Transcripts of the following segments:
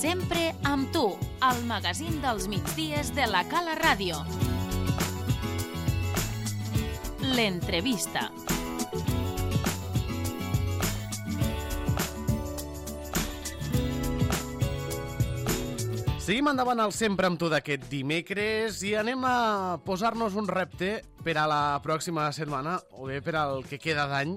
Sempre amb tu, al magazín dels migdies de la Cala Ràdio. L'entrevista. Seguim endavant al Sempre amb tu d'aquest dimecres i anem a posar-nos un repte per a la pròxima setmana, o bé per al que queda d'any,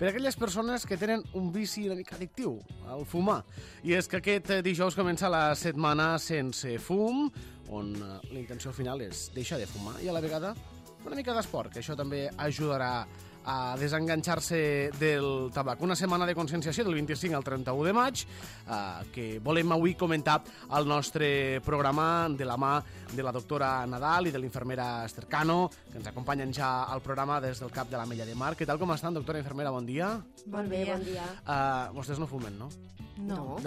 per a aquelles persones que tenen un vici una mica addictiu, el fumar. I és que aquest dijous comença la setmana sense fum, on la intenció final és deixar de fumar i a la vegada una mica d'esport, que això també ajudarà a desenganxar-se del tabac. Una setmana de conscienciació del 25 al 31 de maig que volem avui comentar al nostre programa de la mà de la doctora Nadal i de l'infermera Esther Cano, que ens acompanyen ja al programa des del CAP de l'Ametlla de Mar. Què tal, com estan, doctora infermera? Bon dia. Bon dia. Bon dia. Vostès no fumen, no? No.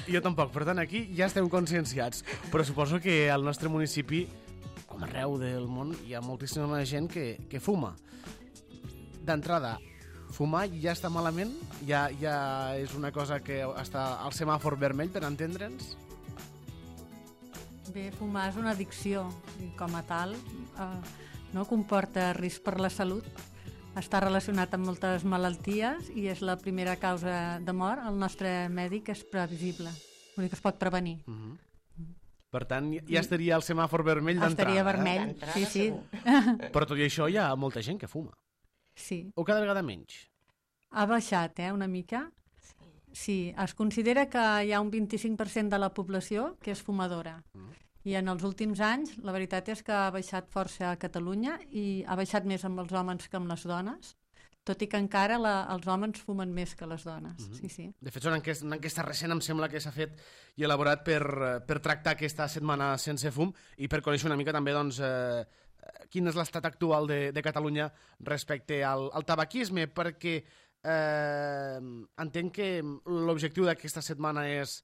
Jo tampoc, per tant aquí ja estem conscienciats, però suposo que al nostre municipi, com arreu del món, hi ha moltíssima gent que fuma. D'entrada, fumar ja està malament? Ja és una cosa que està al semàfor vermell, per entendre'ns? Bé, fumar és una addicció i com a tal no comporta risc per la salut. Està relacionat amb moltes malalties i és la primera causa de mort. El nostre mèdic és previsible, vull dir que es pot prevenir. Per tant, ja estaria el semàfor vermell d'entrada. Estaria vermell, sí. Però tot i això hi ha molta gent que fuma. Sí. O cada vegada menys. Ha baixat, una mica. Sí, es considera que hi ha un 25% de la població que és fumadora. I en els últims anys, la veritat és que ha baixat força a Catalunya i ha baixat més amb els homes que amb les dones, tot i que encara els homes fumen més que les dones. Sí. De fet, una enquesta recent em sembla que s'ha fet i elaborat per tractar aquesta setmana sense fum i per conèixer una mica també doncs, quin és l'estat actual de Catalunya respecte al tabaquisme, perquè entenc que l'objectiu d'aquesta setmana és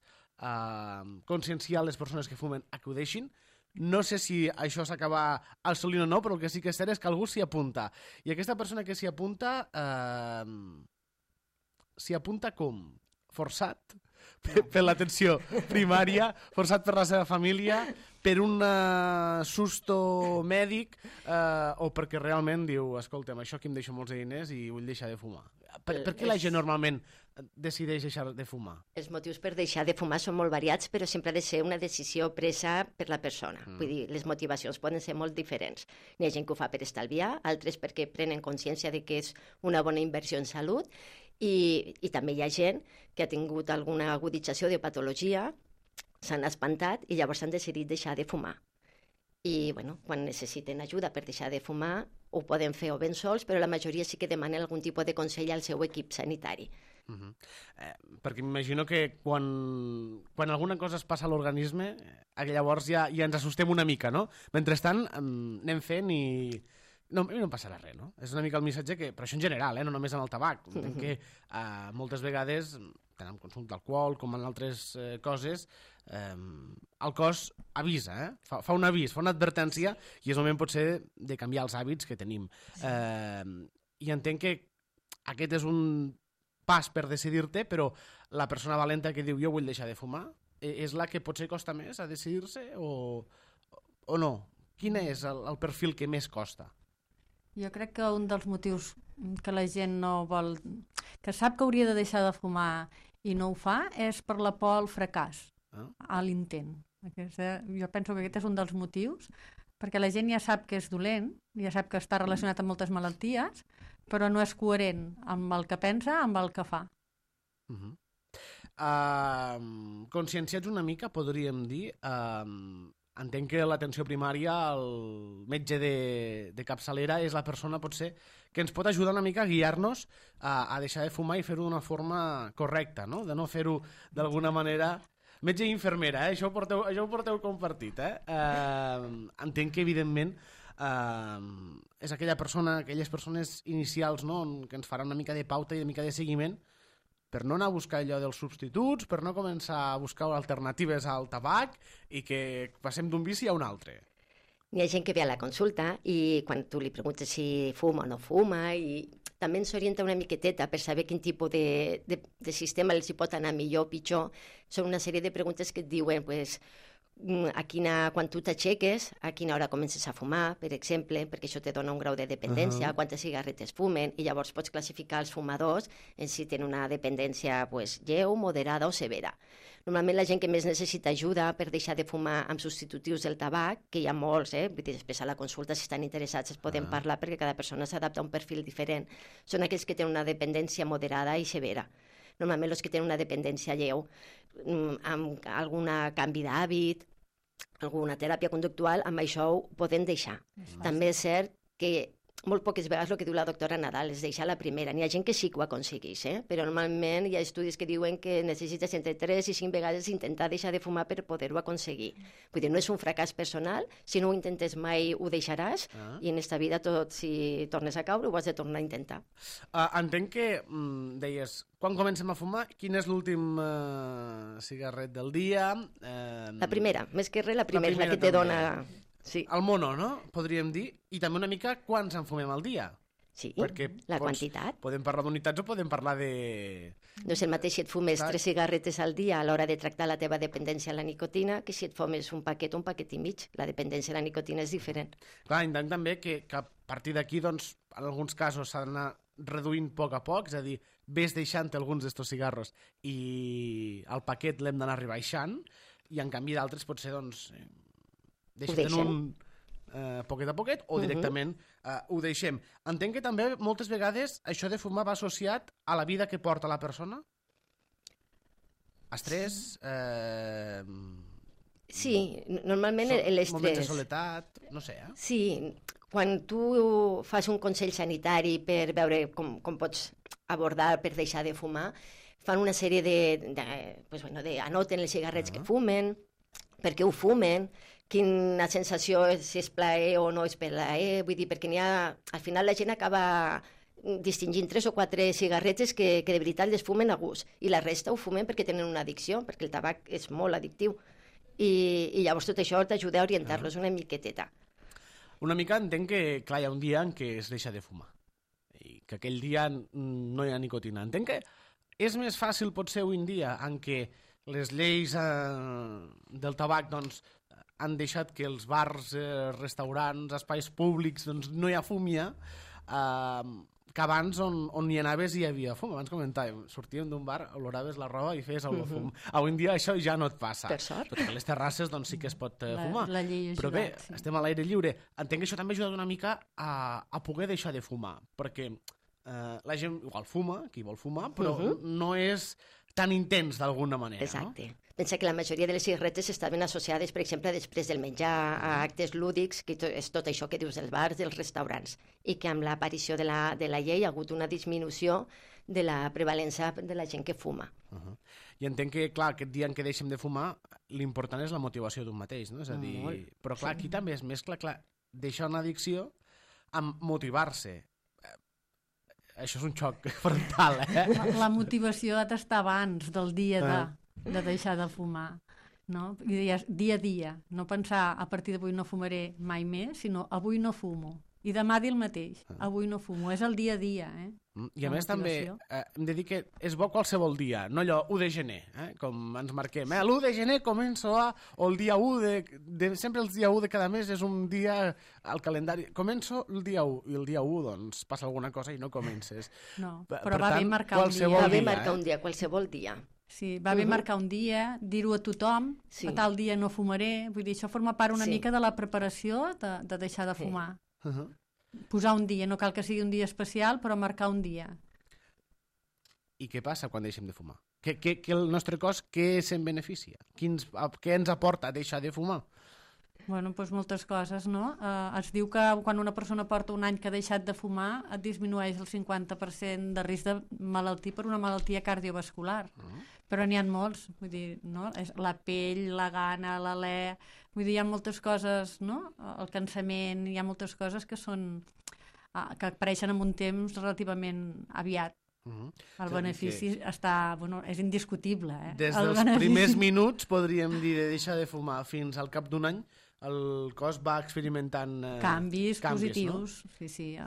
conscienciar les persones que fumen a que ho deixin. No sé si això s'acaba assolint o no, però el que sí que és cert és que algú s'hi apunta. I aquesta persona que s'hi apunta com? Forçat? Per l'atenció primària, forçat per la seva família, per un susto mèdic o perquè realment diu, escolta'm, això aquí em deixa molts diners i vull deixar de fumar. Per què la gent normalment decideix deixar de fumar? Els motius per deixar de fumar són molt variats, però sempre ha de ser una decisió presa per la persona. Vull dir, les motivacions poden ser molt diferents. Hi ha gent que ho fa per estalviar, altres perquè prenen consciència de que és una bona inversió en salut, i també hi ha gent que ha tingut alguna agudització de patologia, s'han espantat i llavors han decidit deixar de fumar. I quan necessiten ajuda per deixar de fumar ho poden fer o ben sols, però la majoria sí que demanen algun tipus de consell al seu equip sanitari. Perquè m'imagino que quan alguna cosa es passa a l'organisme, llavors ja ens assustem una mica, no? Mentrestant anem fent i no em passarà res, no? És una mica el missatge que, però això en general, no només amb el tabac. Entenc que moltes vegades, tant en consum d'alcohol com en altres coses, el cos avisa, fa un avís, fa una advertència i és el moment potser de canviar els hàbits que tenim. I entenc que aquest és un pas per decidir-te, però la persona valenta que diu jo vull deixar de fumar és la que potser costa més a decidir-se o no? Quin és el perfil que més costa? Jo crec que un dels motius que la gent no vol, que sap que hauria de deixar de fumar i no ho fa, és per la por al fracàs, a l'intent. Jo penso que aquest és un dels motius, perquè la gent ja sap que és dolent, ja sap que està relacionat amb moltes malalties, però no és coherent amb el que pensa, amb el que fa. Conscienciats una mica, podríem dir. Entenc que l'atenció primària, el metge de capçalera, és la persona potser que ens pot ajudar una mica a guiar-nos a deixar de fumar i fer-ho d'una forma correcta, no? De no fer-ho d'alguna manera... Metge i infermera, això ho porteu compartit. Entenc que, evidentment, és aquelles persones inicials, no?, que ens faran una mica de pauta i una mica de seguiment per no anar a buscar allò dels substituts, per no començar a buscar alternatives al tabac i que passem d'un vici a un altre. Hi ha gent que ve a la consulta i quan tu li preguntes si fuma o no fuma i també ens orienta una miqueteta per saber quin tipus de sistema els hi pot anar millor o pitjor. Són una sèrie de preguntes que et diuen, pues, quan tu t'aixeques, a quina hora comences a fumar, per exemple, perquè això te dona un grau de dependència, quantes cigarretes fumen, i llavors pots classificar els fumadors en si tenen una dependència pues, lleu, moderada o severa. Normalment la gent que més necessita ajuda per deixar de fumar amb substitutius del tabac, que hi ha molts, vull dir, després a la consulta, si estan interessats, es poden parlar perquè cada persona s'adapta a un perfil diferent. Són aquells que tenen una dependència moderada i severa. Normalment els que tenen una dependència lleu, amb algun canvi d'hàbit, alguna teràpia conductual, amb això ho poden deixar. També és cert que molt poques vegades el que diu la doctora Nadal és deixar la primera. N'hi ha gent que sí que ho aconsegueix, però normalment hi ha estudis que diuen que necessites entre 3 i 5 vegades intentar deixar de fumar per poder-ho aconseguir. Vull dir, no és un fracàs personal, si no ho intentes mai ho deixaràs, i en esta vida tot, si tornes a caure, ho has de tornar a intentar. Entenc que deies, quan comencem a fumar, quin és l'últim cigarret del dia? La primera, més que res, la primera la que te dona... Sí. El mono, no? Podríem dir. I també una mica quants en fumem al dia. Sí, perquè la quantitat. Podem parlar d'unitats o podem parlar de... No és el mateix si et fumes 3 cigarretes al dia a l'hora de tractar la teva dependència a la nicotina que si et fumes un paquet i mig. La dependència a la nicotina és diferent. Clar, entenc també que a partir d'aquí, doncs, en alguns casos s'ha d'anar reduint a poc, és a dir, ves deixant alguns d'estos cigarros i el paquet l'hem d'anar rebaixant, i en canvi d'altres potser, doncs... deixem un poquet a poquet o directament ho deixem. Entenc que també moltes vegades això de fumar va associat a la vida que porta la persona? Estrès? Sí, normalment l'estrès... Moments de soledat, no sé, Sí, quan tu fas un consell sanitari per veure com pots abordar per deixar de fumar, fan una sèrie anoten els cigarrets que fumen, per què ho fumen, quina sensació és, si és plaer o no és plaer, vull dir, perquè al final la gent acaba distingint 3 o 4 cigarretes que de veritat les fumen a gust, i la resta ho fumen perquè tenen una addicció, perquè el tabac és molt addictiu, i llavors tot això t'ajuda a orientar-los una miqueteta. Una mica entenc que, clar, hi ha un dia en què es deixa de fumar, i que aquell dia no hi ha nicotina. Entenc que és més fàcil, potser, avui en dia, en què les lleis del tabac, doncs, han deixat que els bars, restaurants, espais públics, doncs no hi ha fum ja, que abans on hi anaves hi havia fum. Abans comentàvem, sortíem d'un bar, oloraves la roba i feies el fum. Avui en dia això ja no et passa. Per sort. Perquè a les terrasses doncs sí que es pot fumar. La llei ha Però bé, ajudat, sí. estem a l'aire lliure. Entenc que això també ha ajudat una mica a poder deixar de fumar, perquè la gent igual fuma, qui vol fumar, però no és tan intens d'alguna manera. Exacte. No? Pensa que la majoria de les cigarretes estaven associades, per exemple, després del menjar, a actes lúdics, que és tot això que dius dels bars, dels restaurants, i que amb l'aparició de la llei ha hagut una disminució de la prevalença de la gent que fuma. I entenc que, clar, aquest dia en què deixem de fumar, l'important és la motivació d'un mateix, no? És a dir, però clar, aquí també es mescla, clar, deixar una addicció amb motivar-se. Això és un xoc frontal, La motivació ha d'estar abans del dia de deixar de fumar, no? Dia a dia, no pensar a partir d'avui no fumaré mai més, sinó avui no fumo. I demà dir el mateix, avui no fumo. És el dia a dia, I a més també hem de dir que és bo qualsevol dia, no allò 1 de gener, com ens marquem. L'1 de gener començo o el dia 1 sempre el dia 1 de cada mes és un dia al calendari. Començo el dia 1 i el dia 1 doncs passa alguna cosa i no comences. No, però va bé marcar un dia. Va bé marcar un dia, qualsevol dia. Sí, va bé marcar un dia, dir-ho a tothom, a tal dia no fumaré, vull dir, això forma part una mica de la preparació de deixar de fumar. Posar un dia, no cal que sigui un dia especial, però marcar un dia. I què passa quan deixem de fumar? Que el nostre cos, què se'n beneficia? Què ens aporta deixar de fumar? Bueno, doncs moltes coses, no? Es diu que quan una persona porta un any que ha deixat de fumar et disminueix el 50% de risc de malaltia per una malaltia cardiovascular. Però n'hi ha molts, vull dir, no? La pell, la gana, l'alè, vull dir, hi ha moltes coses, no? El cansament, hi ha moltes coses que que apareixen en un temps relativament aviat. El benefici és indiscutible. Des dels primers minuts, podríem dir, de deixar de fumar fins al cap d'un any, el cos va experimentant canvis positius. No? Sí.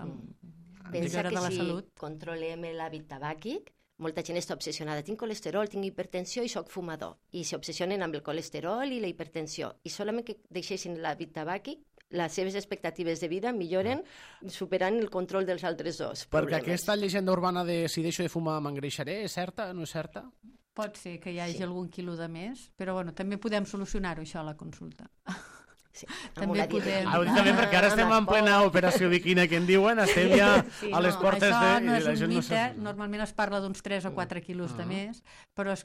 Pensa de que la si salut. controlem l'hàbit tabàquic, molta gent està obsessionada. Tinc colesterol, tinc hipertensió i sóc fumador. I s'obsessionen amb el colesterol i la hipertensió. I solament que deixessin l'hàbit tabàquic, les seves expectatives de vida milloren superant el control dels altres dos Perquè problemes. aquesta llegenda urbana de si deixo de fumar m'engreixaré, és certa? No és certa? Pot ser que hi hagi algun quilo de més, però bueno, també podem solucionar-ho, això, a la consulta. Sí, També podem- Ho dic també perquè ara estem en plena operació biquina, que en diuen, estem ja Sí, a les portes Això de... no i és la un gent no mite, sap. normalment es parla d'uns 3 o 4 quilos de més, però és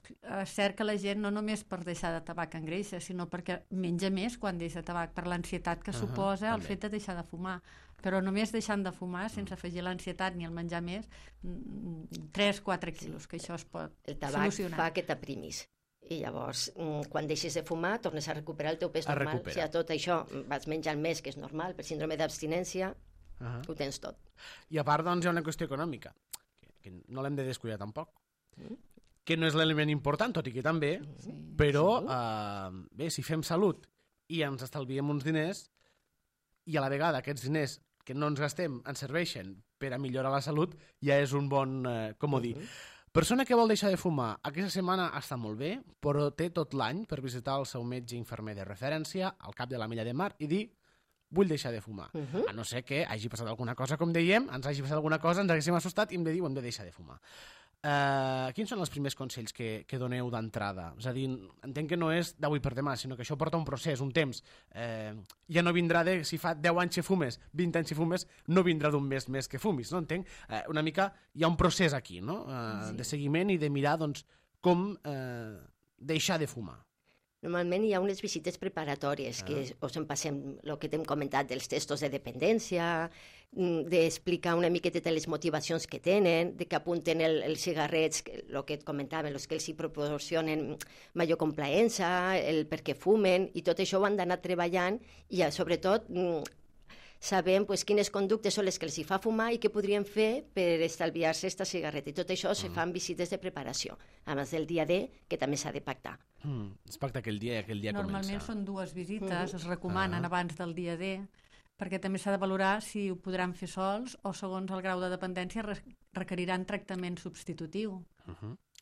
cert que la gent no només per deixar de tabac engreixa, sinó perquè menja més quan deixa tabac, per l'ansietat que suposa el també. fet de deixar de fumar. Però només deixant de fumar, sense afegir l'ansietat ni el menjar més, 3-4 quilos, que això es pot El tabac solucionar. fa que t'aprimis. I llavors, quan deixes de fumar, tornes a recuperar el teu pes normal. recupera. Si a tot això vas menjant més, que és normal, per síndrome d'abstinència, Uh-huh. ho tens tot. I a part, doncs, hi ha una qüestió econòmica, que no l'hem de descuidar tampoc, que no és l'element important, tot i que també, però bé, si fem salut i ens estalviem uns diners, i a la vegada aquests diners que no ens gastem ens serveixen per a millorar la salut, ja és un bon comodí. Persona que vol deixar de fumar, aquesta setmana està molt bé, però té tot l'any per visitar el seu metge infermer de referència al cap de la Milla de Mar i dir vull deixar de fumar. A no ser que hagi passat alguna cosa, com dèiem, ens hagi passat alguna cosa, ens haguéssim assustat i hem de dir hem de deixar de fumar. Quins són els primers consells que doneu d'entrada? És a dir, entenc que no és d'avui per demà, sinó que això porta un procés, un temps. Ja no vindrà de si fa 10 anys que fumes, 20 anys que fumes, no vindrà d'un mes més que fumis, no? Entenc? Una mica hi ha un procés aquí, no? De seguiment i de mirar doncs, com deixar de fumar. Normalment hi ha unes visites preparatòries que us en passem el que t'hem comentat dels testos de dependència, d'explicar una miqueta les motivacions que tenen, de que apunten els cigarrets, el que et comentàvem, els que els hi proporcionen major complaença, el per què fumen, i tot això ho han d'anar treballant i sobretot sabem pues, quines conductes són les que els hi fa fumar i què podrien fer per estalviar-se aquesta cigarreta. I tot això se fan visites de preparació, a més del dia D, que també s'ha de pactar. Es pacta aquell dia Normalment comença. són 2 visites, es recomanen abans del dia D, perquè també s'ha de valorar si ho podran fer sols o, segons el grau de dependència, requeriran tractament substitutiu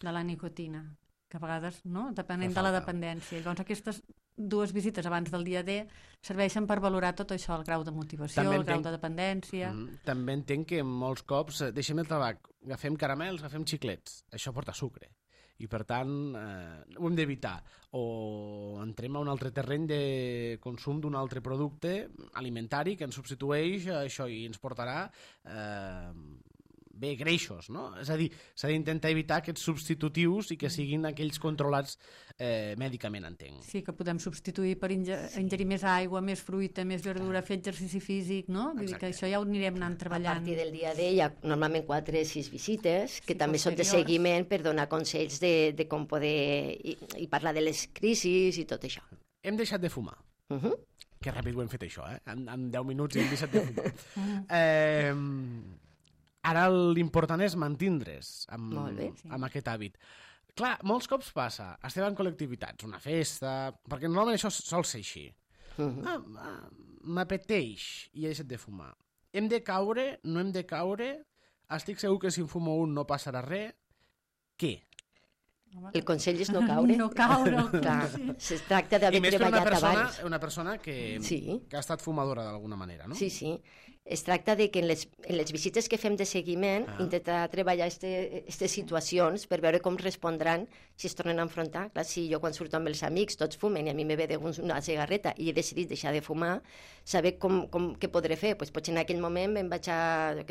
de la nicotina, que a vegades, no?, depenent de la dependència. Llavors, aquestes 2 visites abans del dia D serveixen per valorar tot això, el grau de motivació, el grau de dependència... També entenc que molts cops deixem el tabac, agafem caramels, agafem xiclets. Això porta sucre. I, per tant, ho hem d'evitar. O entrem a un altre terreny de consum d'un altre producte alimentari que ens substitueix això i ens portarà bé, greixos, no? És a dir, s'ha d'intentar evitar aquests substitutius i que siguin aquells controlats mèdicament, entenc. Sí, que podem substituir per ingerir més aigua, més fruita, més verdura, fer exercici físic, no? Vull dir que això ja ho anirem anant treballant. A partir del dia D hi ha normalment 4 o 6 visites que també són de seguiment per donar consells de com poder i parlar de les crisis i tot això. Hem deixat de fumar. Que ràpid ho hem fet això, En 10 minuts hem deixat de fumar. Ara l'important és mantindre's amb aquest hàbit. Clar, molts cops passa, estem en col·lectivitats, una festa, perquè normalment això sol ser així. M'apeteix i he deixat de fumar. Hem de caure, no hem de caure, estic segur que si en fumo un no passarà res. Què? El consell és no caure. No caure. Clar, es tracta d'haver treballat abans. Una persona que ha estat fumadora d'alguna manera, no? Sí. Es tracta de que en les visites que fem de seguiment intentar treballar aquestes situacions per veure com respondran si es tornen a enfrontar. Clar, si jo quan surto amb els amics tots fumen i a mi me ve de una cigarreta i he decidit deixar de fumar, saber què podré fer. Pues potser en aquell moment me'n vaig al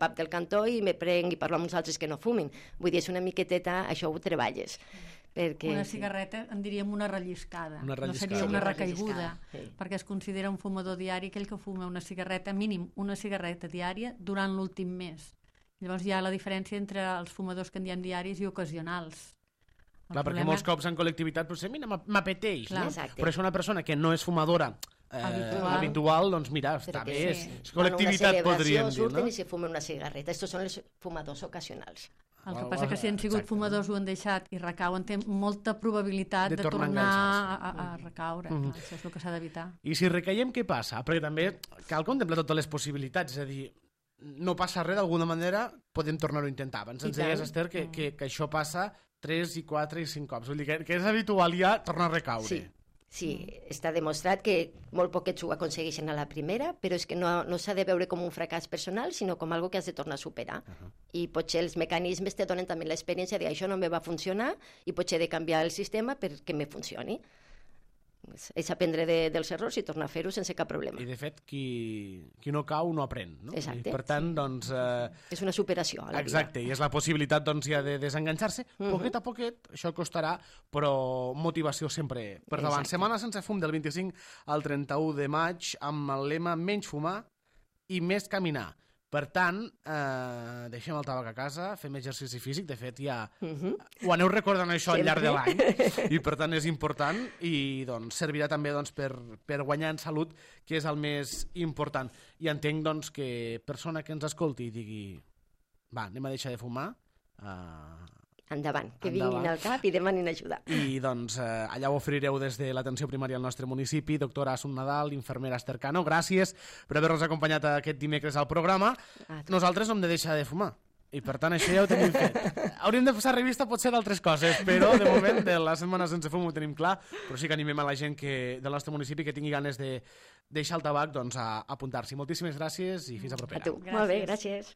pub del cantó i me prenc i parlo amb uns altres que no fumin. Vull dir, és una miqueteta, això ho treballes. Una cigarreta en diríem una relliscada, no seria una recaiguda, perquè es considera un fumador diari aquell que fuma una cigarreta, mínim una cigarreta diària durant l'últim mes. Llavors hi ha la diferència entre els fumadors que en diem diaris i ocasionals. Clar, perquè molts cops en col·lectivitat potser, mira, m'apeteix, no? Però és una persona que no és fumadora habitual, doncs mira, està bé, és col·lectivitat, podríem dir, no? Surten i se fumen una cigarreta. Estos són els fumadors ocasionals. El que passa que si han sigut fumadors ho han deixat i recauen, té molta probabilitat de tornar a recaure. Això és el que s'ha d'evitar. I si recaiem, què passa? Perquè també cal contemplar totes les possibilitats, és a dir, no passa res, d'alguna manera podem tornar-ho a intentar. Abans ens deies, Esther, que això passa 3 i 4 i 5 cops. Vull dir que és habitual ja tornar a recaure. Sí, està demostrat que molt poquets ho aconsegueixen a la primera, però és que no s'ha de veure com un fracàs personal, sinó com algo que has de tornar a superar. I potser els mecanismes te donen també l'experiència de això no me va funcionar i potser he de canviar el sistema perquè me funcioni. És aprendre dels errors i tornar a fer-ho sense cap problema. I, de fet, qui no cau no aprèn, no? Exacte. I, per tant, doncs... És una superació a la vida. Exacte, i és la possibilitat, doncs, ja de desenganxar-se. Poquet a poquet, això costarà, però motivació sempre per davant. Exacte. Setmana sense fum del 25 al 31 de maig, amb el lema menys fumar i més caminar. Per tant, deixem el tabac a casa, fem exercici físic, de fet ja ho aneu recordant això al llarg de l'any, i per tant és important i doncs, servirà també doncs, per guanyar en salut, que és el més important. I entenc doncs, que persona que ens escolti i digui va, anem a deixar de fumar, endavant, que vinguin al CAP i demanin ajuda. I doncs allà ho oferireu des de l'atenció primària al nostre municipi. Doctora Assun Nadal, infermera Esther Cano, gràcies per haver-nos acompanyat aquest dimecres al programa. Nosaltres no hem de deixar de fumar. I per tant això ja ho tenim fet. Hauríem de passar revista potser d'altres coses, però de moment de la setmana sense fum ho tenim clar, però sí que animem a la gent del nostre municipi que tingui ganes de deixar el tabac doncs, a apuntar-s'hi. Moltíssimes gràcies i fins a propera. A tu. Molt bé, gràcies.